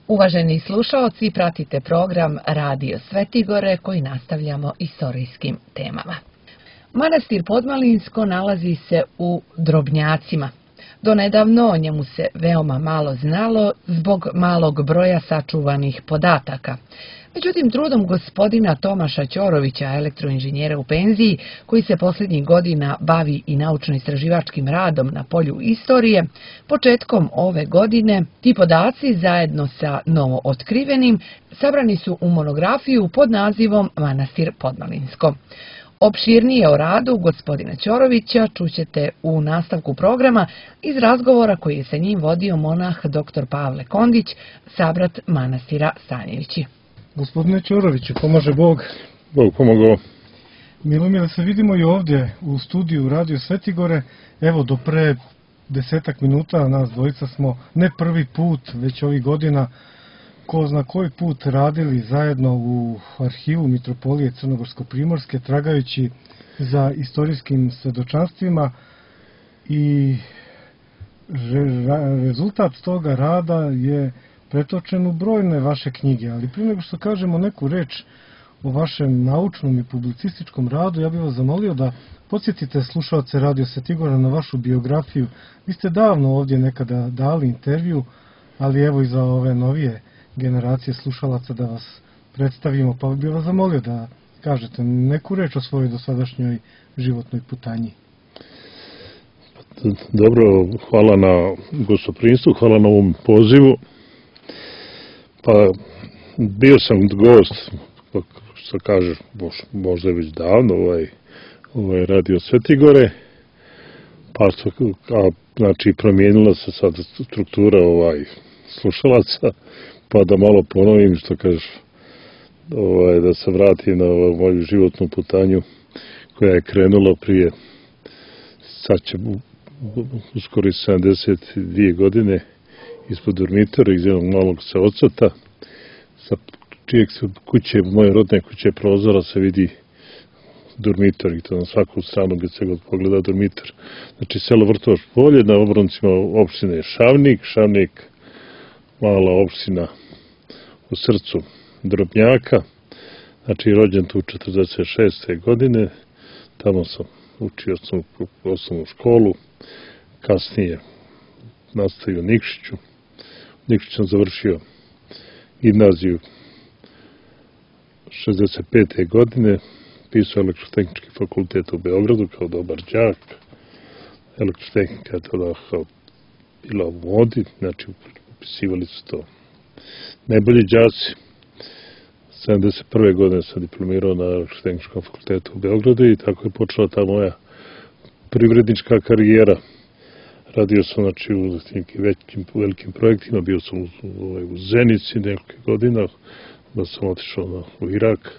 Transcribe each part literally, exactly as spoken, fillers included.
Uvaženi slušaoci, pratite program Radio Svetigore koji nastavljamo istorijskim temama. Manastir Podmalinsko nalazi se u Drobnjacima. Donedavno o njemu se veoma malo znalo zbog malog broja sačuvanih podataka. Međutim, trudom gospodina Tomaša Ćorovića, elektroinženjera u penziji, koji se posljednjih godina bavi i naučno-istraživačkim radom na polju istorije, početkom ove godine ti podaci zajedno sa novo otkrivenim sabrani su u monografiju pod nazivom Manastir Podmalinsko. Opširnije o radu gospodina Ćorovića čućete u nastavku programa iz razgovora koji je sa njim vodio monah doktor Pavle Kondić, sabrat manastira Stanjevići. Gospodine Ćoroviću, pomaže Bog. Bog pomogao. Milo mi je da se vidimo i ovdje u studiju Radio Svetigore. Evo, do pre desetak minuta nas dvojica smo ne prvi put, već ovih godina, ko zna koji put radili zajedno u arhivu Mitropolije Crnogorsko-Primorske, tragajući za istorijskim svedočanstvima i rezultat toga rada je pretočen u brojne vaše knjige. Ali prije nego što kažemo neku reč o vašem naučnom i publicističkom radu, ja bih vas zamolio da podsjetite slušaoce Radio Svetigora na vašu biografiju. Vi ste davno ovdje nekada dali intervju, ali evo i za ove novije generacije slušalaca da vas predstavimo, pa bih vas zamolio da kažete neku reč o svojoj dosadašnjoj životnoj putanji. Dobro, hvala na gostoprimstvu, hvala na ovom pozivu. Pa bio sam gost, što kažeš, možda je već davno, ovaj, ovaj Radio Svetigore, pa a, znači promijenila se sad struktura ovaj slušalaca, pa da malo ponovim što kažeš, ovaj, da se vratim na ovaj, moju životnu putanju koja je krenula prije, sad će uskoro sedamdeset dvije godine, ispod dormitora iz jednog malog seocata, sa čijeg se kuće, moje rodne kuće prozora se vidi dormitor i to na svaku stranu gdje se god pogleda dormitor. Znači selo Vrtovač polje, na obroncima opštine Šavnik, Šavnik mala opština u srcu Drobnjaka, znači rođen tu četrdeset šeste godine, tamo sam učio sam osnovnu školu, kasnije nastavio u Nikšiću. Nikšić sam završio gimnaziju šezdeset pete godine, pisao elektrotehnički fakultet u Beogradu kao dobar đak. Elektrotehnika je tada bila u modi, znači upisivali su to najbolji đaci. sedamdeset prve godine sam diplomirao na elektrotehničkom fakultetu u Beogradu i tako je počela ta moja privrednička karijera. Radio sam znači, u velikim, velikim projektima, bio sam u, u, u Zenici nekoliko godina, da sam otišao na, u Irak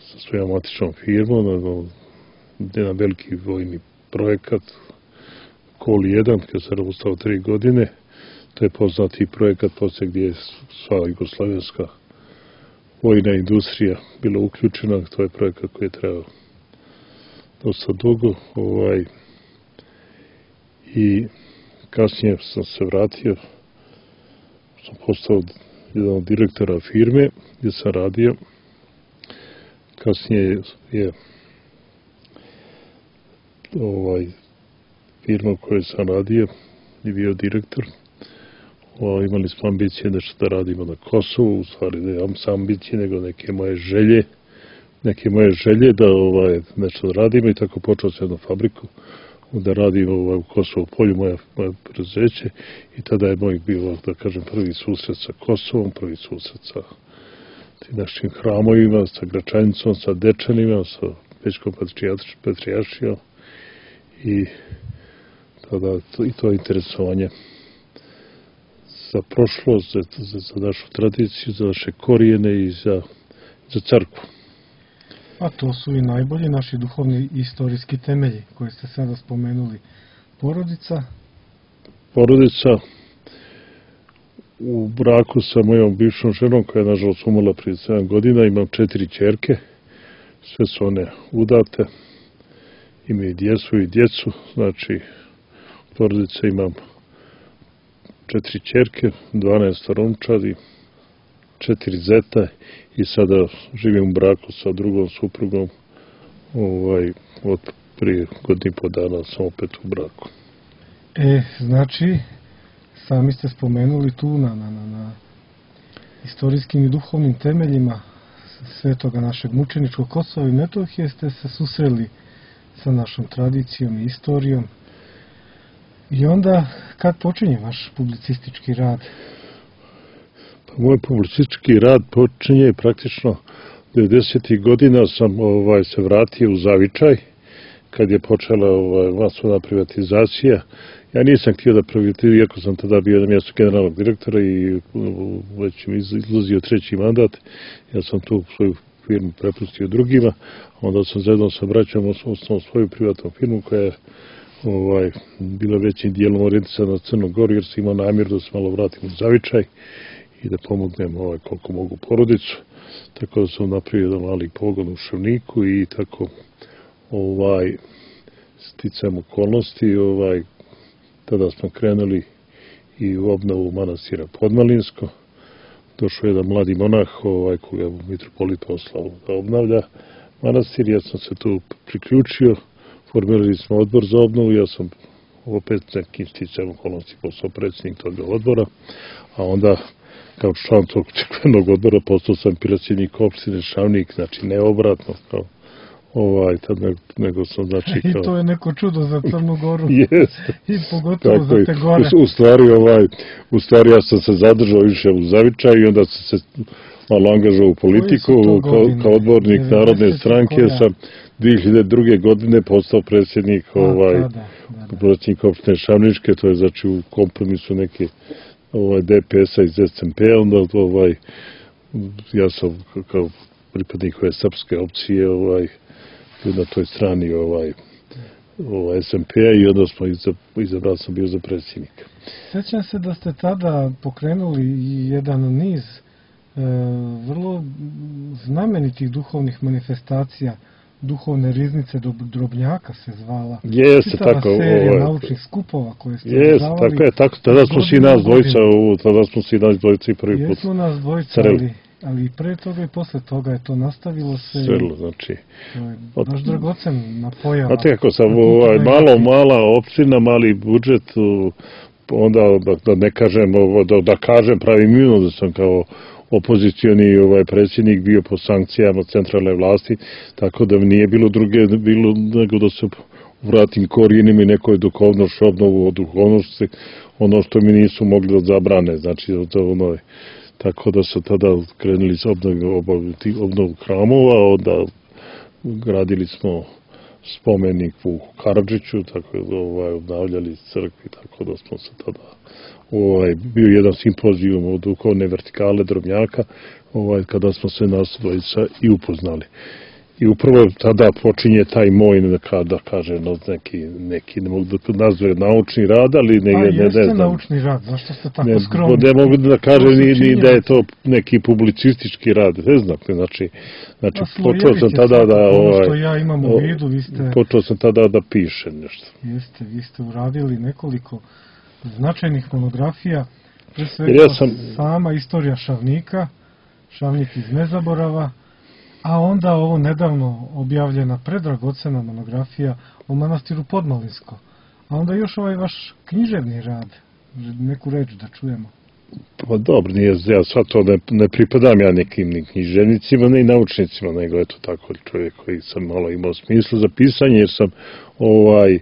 sa svojom matičnom firmom, na, na veliki vojni projekat, Kol jedan, kad sam ostao tri godine. To je poznati projekat poslije gdje je sva jugoslavenska vojna industrija bila uključena. To je projekat koji je trebao dosta dugo. Ovaj, I kasnije sam se vratio, sam postao jedan od direktora firme gdje sam radio. Kasnije je ovaj, firma u kojoj sam radio i bio direktor. O, imali smo ambicije nešto da radimo na Kosovu, u stvari ne imam sam ambicije, nego neke moje želje, neke moje želje da ovaj, nešto da radimo i tako počeo sam jednu fabriku da radim ovaj, u Kosovu polju, moje, moje preduzeće i tada je moj bio, da kažem, prvi susret sa Kosovom, prvi susret sa tim našim hramovima, sa Gračanicom, sa Dečanima, sa Pećkom patrijaršijom i tada to, i to interesovanje za prošlost, za, za, za našu tradiciju, za naše korijene i za, za crkvu. A to su i najbolji naši duhovni i istorijski temelji koje ste sada spomenuli. Porodica? Porodica u braku sa mojom bivšom ženom koja je nažalost umrla prije sedam godina. Imam četiri ćerke, sve su one udate, imaju djecu i djecu, znači porodice imam četiri ćerke, dvanaest unčadi, četiri zeta i sada živim u braku sa drugom suprugom. Ovaj, od prije godinu i po dana sam opet u braku. E, znači, sami ste spomenuli tu na, na, na, na istorijskim i duhovnim temeljima svetoga našeg mučeničkog Kosova i Metohije ste se susreli sa našom tradicijom i istorijom. I onda, kad počinje vaš publicistički rad? Pa moj publicistički rad počinje praktično devedesetih godina sam ovaj, se vratio u Zavičaj, kad je počela ovaj, masovna privatizacija. Ja nisam htio da privatiziram, iako sam tada bio na mjestu generalnog direktora i već mi izlazio treći mandat, ja sam tu svoju firmu prepustio drugima, onda sam zajedno sa braćom osnovao svoju privatnu firmu koja je ovaj, bila većim dijelom orijentisana na Crnu Goru, jer sam imao namjer da se malo vratim u Zavičaj i da pomognem ovaj, koliko mogu porodicu. Tako da sam napravio jedan mali pogon u Šavniku i tako ovaj, sticajem okolnosti, ovaj, tada smo krenuli i u obnovu manastira Podmalinsko. Došao je jedan mladi monah ovaj, koga je mitropolit poslao da obnavlja manastir. Ja sam se tu priključio, formirali smo odbor za obnovu, ja sam opet nekim sticajem okolnosti postao predsjednik toga odbora, a onda kao član tog crkvenog odbora postao sam predsjednik opštine Šavnik, znači ne obratno kao ovaj, tad nego, nego sam znači kao... I to je neko čudo za Crnu Goru. Jeste. I pogotovo tako za te gore. U, u, stvari, ovaj, u stvari ja sam se zadržao više u Zavičaju i onda sam se malo angažao u politiku kao, kao odbornik Narodne stranke. Koja? Sam dvije hiljade druge. godine postao predsjednik A, ovaj, da, da, da. predsjednik opštine Šavničke, to je znači u kompromisu neke ovaj, D P S-a iz S M P-a, onda ovaj, ja sam kao pripadnik ove srpske opcije ovaj, na toj strani ovaj, ovaj S M P-a i onda smo izabrali sam bio za predsjednika. Sjećam se da ste tada pokrenuli i jedan niz e, vrlo znamenitih duhovnih manifestacija, duhovne riznice do Drobnjaka se zvala. Jeste, tako. Serija ovaj, naučnih skupova koje ste jeste, tako je, tako, tada smo svi nas dvojica, tada smo svi nas dvojica i prvi put. Jesmo nas dvojica, ali, ali i pre toga i posle toga je to nastavilo se. Srelo, znači. To je baš dragocen na pojava. Znate kako sam, ovaj, malo, mala opština, mali budžet, onda da, da ne kažem, da, da kažem pravi minuo da sam kao opozicioni ovaj predsjednik bio po sankcijama centralne vlasti, tako da nije bilo druge bilo nego da se vratim korijenima i nekoj duhovnošću, obnovu od duhovnosti, ono što mi nisu mogli da zabrane, znači ono, tako da su tada krenuli s obnovu, obnovu hramova, onda gradili smo spomenik u Karadžiću, tako da ovaj, obnavljali crkvi, tako da smo se tada ovaj, bio jedan simpozijum od duhovne vertikale Drobnjaka, ovaj, kada smo se nas dvojica i upoznali. I upravo tada počinje taj moj, da kažem, neki, neki ne mogu da nazove naučni rad, ali ne, ne, ne, ne znam. Naučni rad, zašto ste tako ne, skromni? Ne mogu da kažem ni, ni da je to neki publicistički rad, ne znam, znači, znači počeo sam tada da, ovaj, što ja imam u vidu, vi ste... počeo sam tada da pišem nešto. Jeste, vi ste uradili nekoliko značajnih monografija, pre svega ja sam... sama istorija Šavnika, Šavnik iz nezaborava, a onda ovo nedavno objavljena predragocena monografija o manastiru Podmalinsko. A onda još ovaj vaš književni rad, neku reč da čujemo. Pa dobro, nije, ja sad to ne, ne pripadam ja nekim ni književnicima, ne i naučnicima, nego eto tako čovjek koji sam malo imao smisla za pisanje, jer sam ovaj,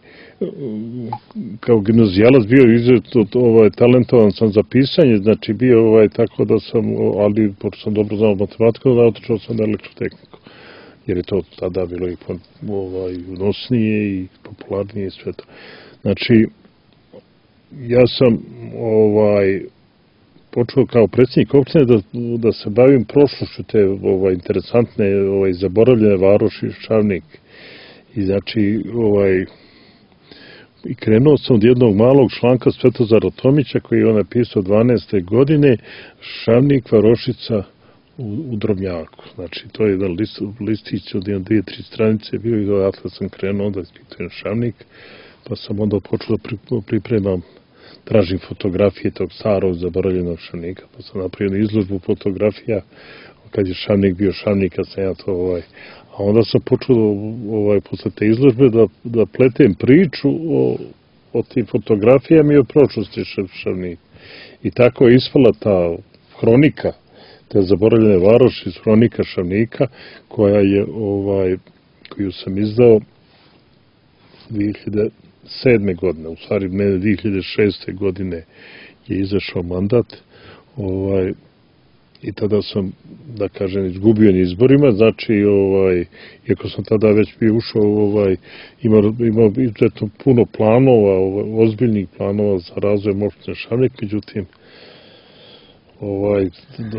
kao gimnazijalac bio izuzetno ovaj, talentovan sam za pisanje, znači bio ovaj, tako da sam, ali pošto sam dobro znao matematiku, da otišao sam na elektrotehniku, jer je to tada bilo i ovaj, unosnije i popularnije i sve to. Znači, ja sam ovaj, počeo kao predsjednik opštine da, da se bavim prošlošću te ovaj, interesantne, ovaj, zaboravljene varoši Šavnik. I znači, ovaj, i krenuo sam od jednog malog članka Svetozara Tomića koji je on napisao dvanaeste godine, Šavnik, varošica u, u Drobnjaku. Znači, to je jedan list, listić od jedan, dvije, tri stranice bio i odatle sam krenuo da ispitujem Šavnik, pa sam onda počeo da pripremam tražim fotografije tog starog zaboravljenog Šavnika, pa sam napravio izložbu fotografija kad je Šavnik bio Šavnik, kad sam ja to ovaj... A onda sam počeo ovaj, posle te izložbe da, da pletem priču o, o tim fotografijama i o prošlosti Šavnika. I tako je ispala ta hronika, te zaboravljene varoši iz hronika Šavnika, koja je, ovaj, koju sam izdao dve hiljade sedme. godine, u stvari mene dve hiljade šeste. godine je izašao mandat, ovaj, i tada sam, da kažem, izgubio na izborima, znači, ovaj, iako sam tada već bio ušao, ovaj, imao, imao izuzetno puno planova, ovaj, ozbiljnih planova za razvoj opštine Šavnik, međutim, ovaj,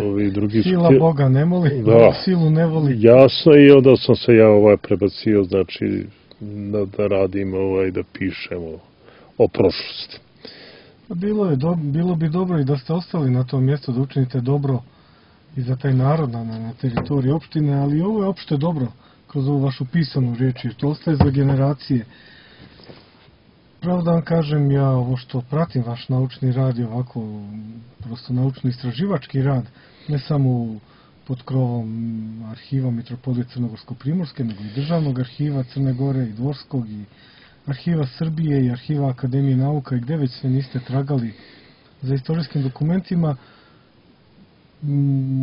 ovi drugi... Sila Boga ne moli, da, silu ne voli. Jasno, i onda sam se ja ovaj, prebacio, znači, da, da radim, ovaj, da pišem o, o prošlosti. Bilo, je do, bilo bi dobro i da ste ostali na tom mjestu, da učinite dobro i za taj narod na, na teritoriji opštine, ali ovo je opšte dobro kroz ovu vašu pisanu riječ, jer to ostaje za generacije. Pravo da vam kažem, ja ovo što pratim vaš naučni rad i ovako prosto naučno-istraživački rad, ne samo pod krovom arhiva Mitropolije Crnogorsko-Primorske, nego i Državnog arhiva Crne Gore i Dvorskog i arhiva Srbije i arhiva Akademije nauka i gde već sve niste tragali za istorijskim dokumentima.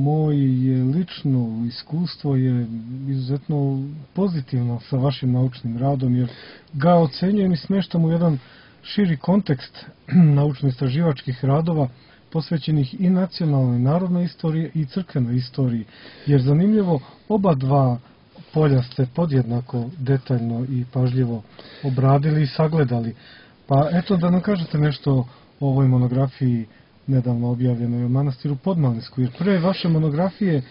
Moje lično iskustvo je izuzetno pozitivno sa vašim naučnim radom, jer ga ocenjujem i smeštam u jedan širi kontekst naučno-istraživačkih radova posvećenih i nacionalnoj i narodnoj istoriji i crkvenoj istoriji, jer zanimljivo oba dva polja ste podjednako detaljno i pažljivo obradili i sagledali. Pa eto da nam kažete nešto o ovoj monografiji nedavno objavljenoj o manastiru Podmalinsku, jer pre vaše monografije,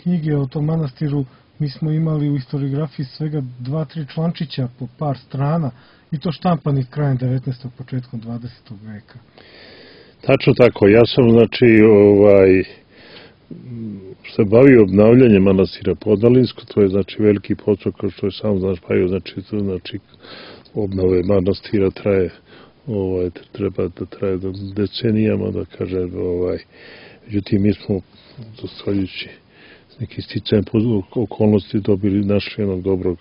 knjige o tom manastiru, mi smo imali u historiografiji svega dva, tri člančića po par strana, i to štampanih krajem devetnaestog. početkom dvadesetog. veka. Tačno tako, ja sam, znači, ovaj, se bavio obnavljanjem manastira Podmalinsko, to je, znači, veliki posao, kao što je sam, znaš, bavio, znači, to, znači, obnove manastira traje, ovaj, treba da traje decenijama, da kaže, ovaj, međutim, mi smo, zahvaljujući neki sticajem okolnosti, dobili, našli jednog dobrog,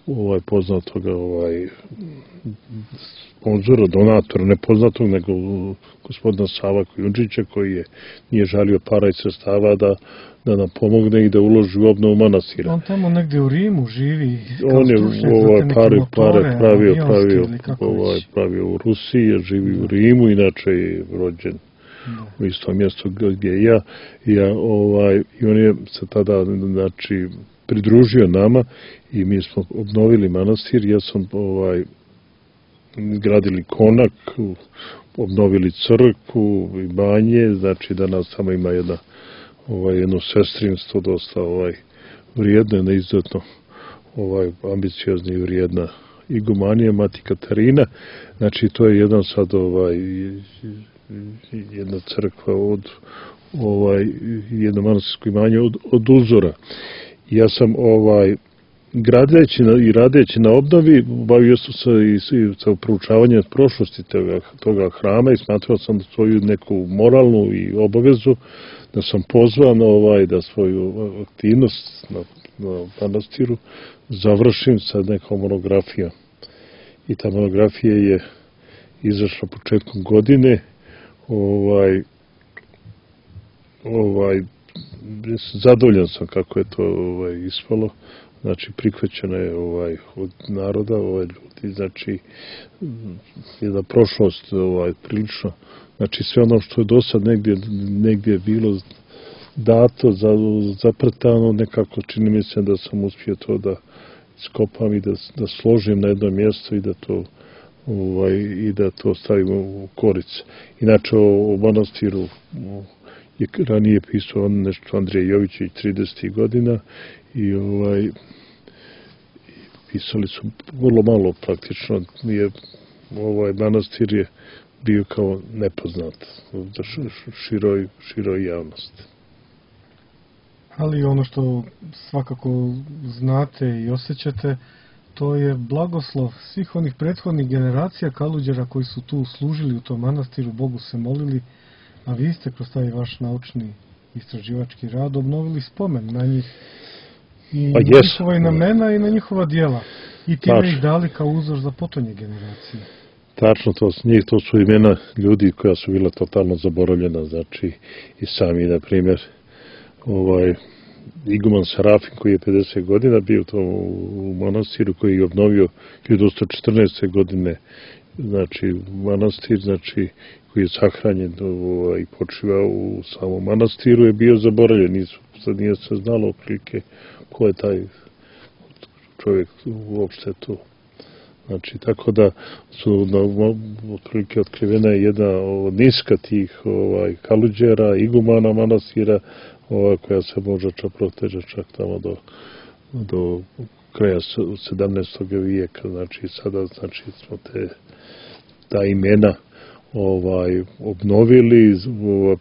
ovaj, poznatoga, ovaj, sponzora, donatora, ne poznatog, nego gospodina Sava Kujundžića, koji je, nije žalio para i sredstava da, da nam pomogne i da uloži u obnovu manastira. On tamo negde u Rimu živi kao on je stručnjak ovaj, za te neke pare, motore, pare pravio, pravio, ovaj, pravio u Rusiji, živi u Rimu, inače je rođen da. u istom mjestu gdje je ja. ja ovaj, I on je se tada, znači, pridružio nama i mi smo obnovili manastir. Ja sam ovaj, gradili konak, obnovili crkvu i banje, znači danas tamo ima jedna, ovaj, jedno sestrinstvo dosta ovaj, vrijedno, jedna izuzetno ovaj, ambiciozna i vrijedna igumanija, Mati Katarina. Znači to je jedan sad ovaj, jedna crkva od ovaj, jedno manastirsko imanje od, od uzora. Ja sam ovaj, gradeći na, i radeći na obnovi, bavio sam se i, i sa proučavanjem prošlosti toga, toga hrama i smatrao sam svoju neku moralnu i obavezu da sam pozvan ovaj, da svoju aktivnost na, na manastiru završim sa nekom monografijom. I ta monografija je izašla početkom godine. Ovaj, ovaj, zadovoljan sam kako je to ovaj, ispalo. Znači, prihvaćena je ovaj, od naroda, ovaj, ljudi, znači, jedna prošlost ovaj, prilično, znači, sve ono što je do sad negdje, negdje bilo dato, za, zaprtano, nekako čini mi se da sam uspio to da iskopam i da, da složim na jedno mjesto i da to ovaj, i da to stavimo u korice. Inače, o, o manastiru je ranije pisao nešto Andrija Jovićević tridesetih godina i ovaj, pisali su vrlo malo praktično. Je, ovaj manastir je bio kao nepoznat za široj, široj javnosti. Ali ono što svakako znate i osjećate, to je blagoslov svih onih prethodnih generacija Kaluđera koji su tu služili u tom manastiru, Bogu se molili, a vi ste kroz taj vaš naučni istraživački rad obnovili spomen na njih i pa na yes. njihova imena i na njihova djela i time Tačno. ih dali kao uzor za potonje generacije. Tačno, to, njih, to su imena ljudi koja su bila totalno zaboravljena, znači i sami, na primjer, ovaj, iguman Serafin koji je pedeset godina bio to u manastiru, koji je obnovio hiljadu osamsto četrnaeste. godine, znači manastir, znači koji je sahranjen ovaj, i počivao u samom manastiru, je bio zaboravljen, nisu, sad nije se znalo otprilike ko je taj čovjek uopšte to. Znači, tako da su na, otprilike otkrivena je jedna od niska tih ovaj, Kaluđera, igumana manastira, ova, koja se može čak proteže čak tamo do, do kraja sedamnaestog. vijeka. Znači, sada znači, smo te, ta imena ovaj, obnovili, ovaj,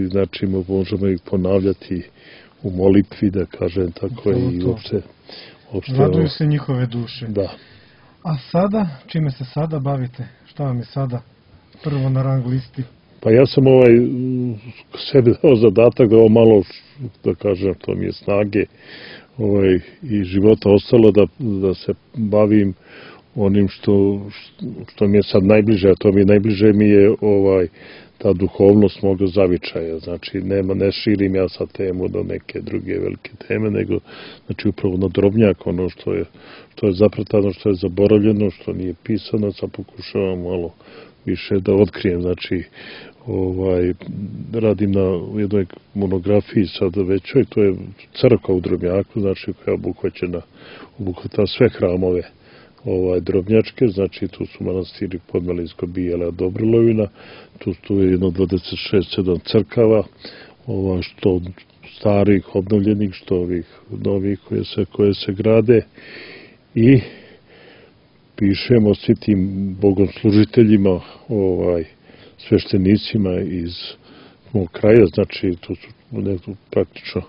znači možemo ih ponavljati u molitvi, da kažem tako, to, i uopšte... uopšte raduju se njihove duše. Da. A sada, čime se sada bavite? Šta vam je sada prvo na rang listi? Pa ja sam ovaj sebi dao zadatak da ovo malo, da kažem, to mi je snage ovaj, i života ostalo da, da se bavim onim što, što mi je sad najbliže, a to mi je najbliže mi je ovaj, ta duhovnost moga zavičaja. Znači, nema, ne širim ja sad temu do neke druge velike teme, nego znači, upravo na drobnjak, ono što je, što je zapretano, što je zaboravljeno, što nije pisano, sad pokušavam malo više da otkrijem. Znači, ovaj, radim na jednoj monografiji sada većoj, to je crkva u Drobnjaku, znači koja je obuhvaćena, obuhvata sve hramove ovaj, drobnjačke, znači tu su manastiri Podmalinsko, Bijela, Dobrilovina, tu, tu je jedno dvadeset šest sedam crkava, ovaj, što starih, obnovljenih, što ovih novih koje se, koje se grade i pišemo svi tim bogoslužiteljima, ovaj, sveštenicima iz mog kraja, znači tu su nekako praktično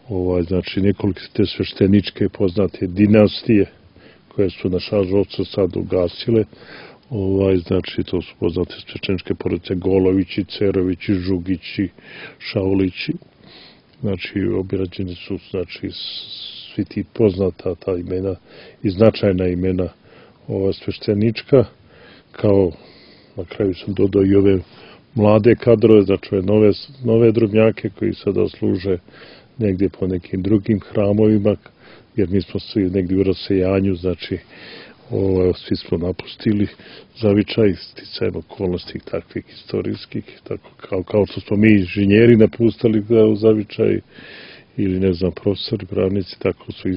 ovaj, znači nekoliko te svešteničke poznate dinastije koje su na žalost sad ugasile, ovaj, znači to su poznate svešteničke porodice Golovići, Cerovići, Žugići, Šaulići, znači obirađeni su znači svi ti poznata ta imena i značajna imena ova sveštenička, kao na kraju sam dodao i ove mlade kadrove, znači ove nove, nove drobnjake koji sada služe negdje po nekim drugim hramovima, jer mi smo svi negdje u rasejanju, znači ovo, svi smo napustili zavičaj, sticajem okolnosti takvih istorijskih, tako kao, kao što smo mi inženjeri napustili u zavičaj, ili ne znam, profesori, pravnici, tako su i,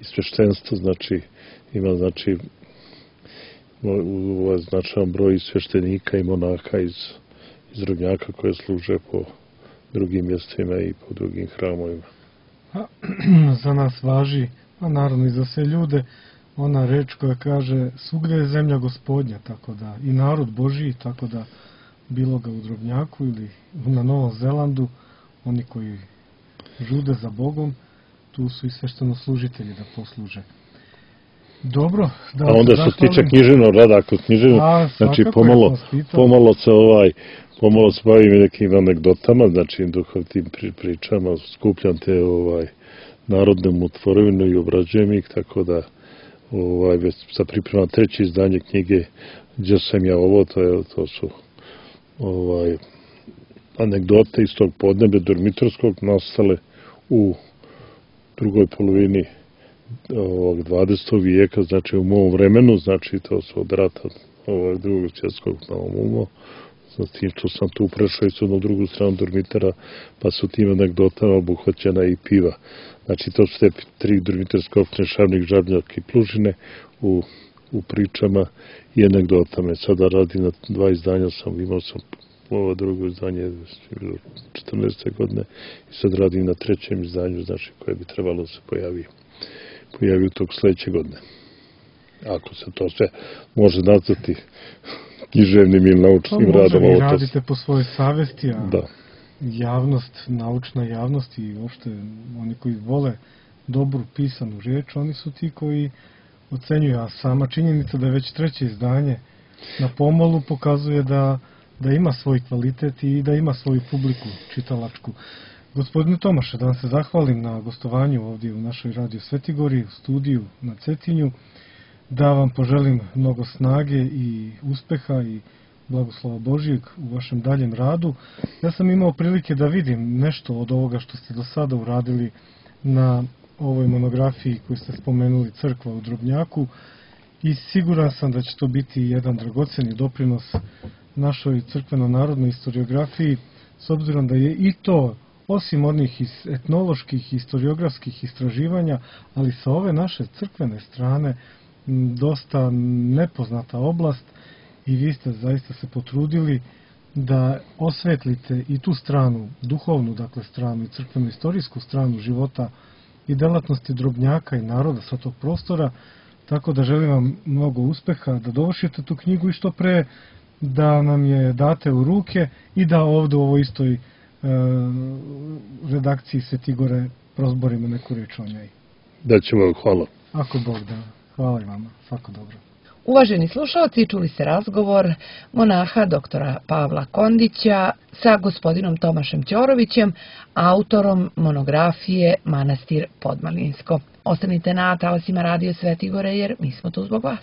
i sveštenstvo, znači ima, znači, ovaj značajan broj sveštenika i monaka iz, iz Drobnjaka koje služe po drugim mjestima i po drugim hramovima. A, za nas važi, a naravno i za sve ljude, ona reč koja kaže svugde je zemlja gospodnja, tako da i narod Božiji, tako da bilo ga u Drobnjaku ili na Novom Zelandu, oni koji žude za Bogom, tu su i sveštenoslužitelji da posluže. Dobro, da a onda što se tiče književnog rada, ako književno, znači pomalo, pomalo se ovaj, pomalo se bavim nekim anegdotama, znači duhovnim pričama, skupljam te ovaj, narodnu tvorovinu i obrađujem ih, tako da ovaj, već sad pripremam treće izdanje knjige Gdje sam ja ovo, to, je, to su ovaj, anegdote iz tog podneblja Dormitorskog nastale u drugoj polovini ovog dvadesetog vijeka, znači u mom vremenu, znači to su od rata ovog drugog svjetskog na ovom, znači što sam tu prešao i na drugu stranu Dormitera, pa su tim anegdotama obuhvaćena i piva. Znači to su te tri dormitorske opštine, Šavnik, Žabnjak i Plužine u, u pričama i anegdotama. Sada radim na dva izdanja, sam imao sam ovo drugo izdanje četrnaeste godine i sad radim na trećem izdanju, znači koje bi trebalo da se pojavi pojavi u tog sledeće godine. Ako se to sve može nazvati književnim ili naučnim pa radom. Pa može, vi radite po svojoj savesti, a da. Javnost, naučna javnost i uopšte oni koji vole dobru pisanu riječ, oni su ti koji ocenjuju, a sama činjenica da je već treće izdanje na pomolu pokazuje da, da ima svoj kvalitet i da ima svoju publiku čitalačku. Gospodine Tomaše, da vam se zahvalim na gostovanju ovdje u našoj Radio Svetigori, u studiju na Cetinju, da vam poželim mnogo snage i uspeha i blagoslova Božijeg u vašem daljem radu. Ja sam imao prilike da vidim nešto od ovoga što ste do sada uradili na ovoj monografiji koju ste spomenuli, Crkva u Drobnjaku, i siguran sam da će to biti jedan dragoceni doprinos našoj crkveno-narodnoj historiografiji, s obzirom da je i to, osim onih etnoloških i historiografskih istraživanja, ali sa ove naše crkvene strane, dosta nepoznata oblast, i vi ste zaista se potrudili da osvetlite i tu stranu, duhovnu dakle stranu i crkveno-istorijsku stranu života i delatnosti Drobnjaka i naroda sa tog prostora, tako da želim vam mnogo uspeha, da dovršite tu knjigu i što pre da nam je date u ruke i da ovdje u ovoj istoj e, redakciji Svetigore prozborimo neku reč o njoj. Da ćemo, hvala. Ako Bog da. Hvala i vama. Svako dobro. Uvaženi slušalci, čuli ste razgovor monaha doktora Pavla Kondića sa gospodinom Tomašem Ćorovićem, autorom monografije Manastir Podmalinsko. Ostanite na talasima Radio Svetigore jer mi smo tu zbog vas.